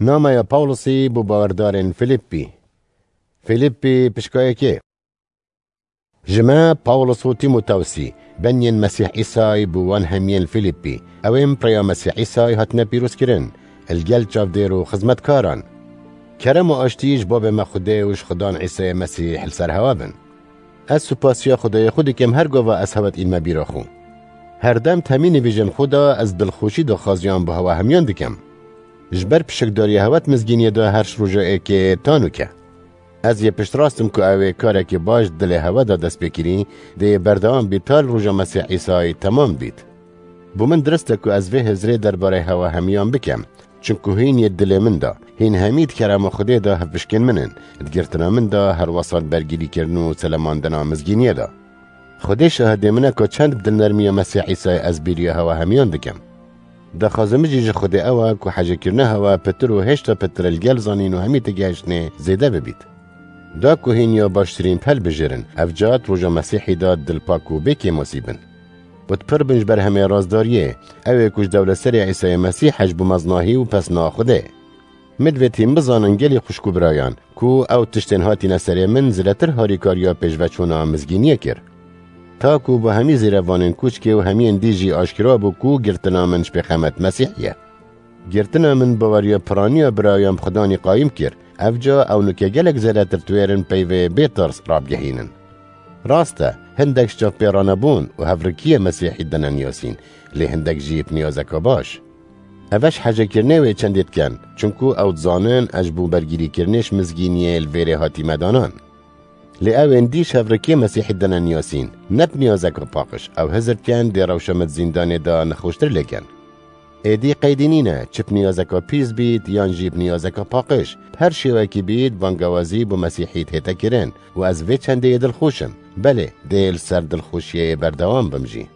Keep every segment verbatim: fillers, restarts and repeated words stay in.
Nameya Pawlusî bo bawerdarên Fîlîppî. Fîlîppî pişka yekê. Ji me, Pawlus û Tîmotewsî, beniyên Mesîh Îsayî bo wan hemiyên Fîlîppî, ew ên bi rêya Mesîh Îsayî hatine pîrozkirin, li gel çavdêr û xizmetkaran. Kerem û aştî ji Babê me Xwedê û ji Xudan Îsayê Mesîh li ser hewe bin. Ez supasiya Xwedayê xwe dikim her gava ez hewe dînime bîra xwe. Her dem temî nivîjên xwe de ez dilxweşî daxwaziyan bi hewe hemiyan dikim. Ji ber pişikdariya hewe di mizgîniyê de her roja êkê ta nûke. Ez yê piştrast im ku ew ê karekî baş dilê hewe de dest pê kirî, dê yê berdewam bît ta li roja Mesîh Îsayî temam bît. Bo min dirist e ku ez vê hizrê derbarê hewe hemiyan bikim. Çinku hîn yê dilê min de, hîn hemî di kerema Xwedê de hevpişkên min in, di girtina min de her wesat bergîrîkirin û selemandina mizgîniyê de. Xwedê şahidê min e ku çend bi dilnermiya Mesîh Îsayê ez bîriya hewe hemiyan dikim. Daxwaza min jî ji Xwedê ew e ku hecekirina hewe pitir û hêşta pitir li gel zanîn û hemî têgihiştinê zêde bibît. Da ku hîn ya baştirîn bi hev bigihîjin, ev ca di roja Mesîhî de dilpak û bê kêmasî bin. Û di pir bin ji berhemê rastdariyê, ew ê ku ji dewletserê Îsayê Mesîh e ji bo mezinahî û pesna Xwedê. Min divê hîn bizanin gelî xwişk û birayan, ku ew tiştên hatine serê min zêdetir harîkariya pêşveçûna mizgîniyê kir. Ta ku bo hemî zêrevanên kûçkê û hemiyên dî jî aşkera bû ku girtina min ji pêxemet Mesîhî ye. Girtina min baweriya piraniya birayan bi Xudanî qayîm kir, ev ca ew nûke gelek zêdetir twêr in peyvê bê tirs rabigihînin. Rast e, hindek ji çavpêranebûn û hevrikiyê Mesîhî dine niyasîn, lê hindek jî bi niyazeka baş. Ev ji hecekirinê wê çendê dikin, çinku ew dizanin ez ji bo bergîrîkirinê ji mizgîniyê li vêrê hatîme danan. Lê ew ên dî ji hevrikiyê Mesîhî dine niyasîn, ne bi niyazeka paqij, ew hizir dikin dê rewşa min di zîndanê de nexweştir lê kin. Êdî qeydî nîne, çi bi niyazeka pîs bît, yan jî bi niyazeka paqij, bi her şêwekî bît, bangewazî bo Mesîhî dihête kirin û ez vê çendê yê dilxweş im. Belê, dê li ser dilxweşiyê yê berdewam bim jî.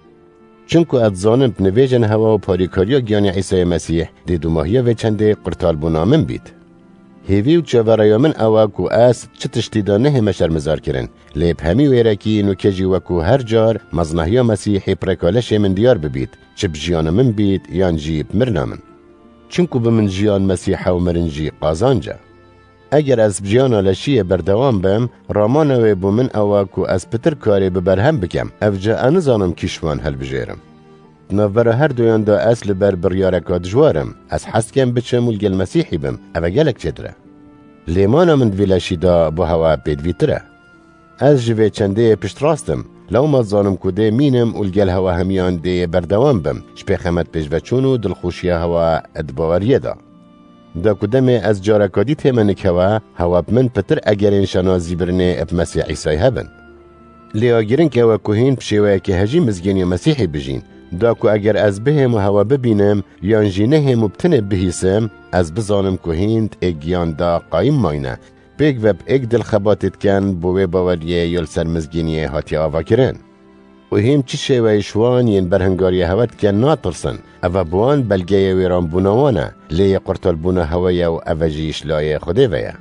Çinku ez dizanim bi nivêjên hewe û parîkariya giyanê Îsayê Mesîh dê dûmahiya vê çendê qurtalbûna min bît. Hêvî û çaverêya min ew e ku ez çi tiştî de nehême şermizar kirin, lê bi hemî wêrekî nûke jî wekû her car mezinahiya Mesîhê bi rêka leşê min diyar bibît, çi bi jiyana min bît yan jî bi mirina min. Çinku bi min jiyan Mesîh e û mirin jî qazanc e. Eger ez bi jiyana leşiyê berdewam bim, ramana wê bo min ew e ku ez pitir karê bi berhem bikim, ev ca ez nizanim kî ji wan hilbijêrim. Di navbera her duyan de ez li ber biryareka dijwar im. Ez hez dikim biçim û li gel Mesîhî bim, ev e gelek çêtir e. Lê mana min di vî leşî de bo hewe pêdivîtir e. Ez ji vê çendê piştrast im. Lewma dizanim ku dê mînim û li gel hewe hemiyan dê berdewam bim, ji pêxemet pêşveçûn û dilxweşiya hewe di baweriyê de. Da ku demê ez careka dî tême nik hewe, hewe bi min pitir egerên şanazîbirinê bi Mesîh Îsayê hebin. Lê ya girîng ew e ku hîn bi şêweyekê hejî mizgîniya Mesîhî bijîn. Da ku eger ez bihêm û hewe bibînim, yan jî nehêm û bi tinê bihîsim, ez bizanim ku hîn di êk giyan de qayîm mayne, pêk ve bi êk dil xebatê dikin bo wê baweriyê ya li ser mizgîniyê hatiye avakirin. Û hîn çi şêweyî ji wan yên berhingariya hewe dikin natirsin, ev e bo wan belgeyê wêranbûna wan e, lê yê qurtalbûna hewe ye û ev e jî ji layê Xwedê ve ye.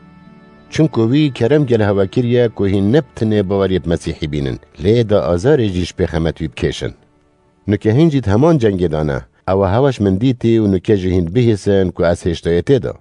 Çunku wî kerem gel hewe kiriye ku hîn ne bi tinê baweriyê bi Mesîhî bînin, lê da azarê jî ji pêxemet wî bikêşin. Nûke hîn jî di heman cengê de ne, ew e hewe ji min dîtî û nûke jî hîn dibihîsin ku ez hêşta yê tê de.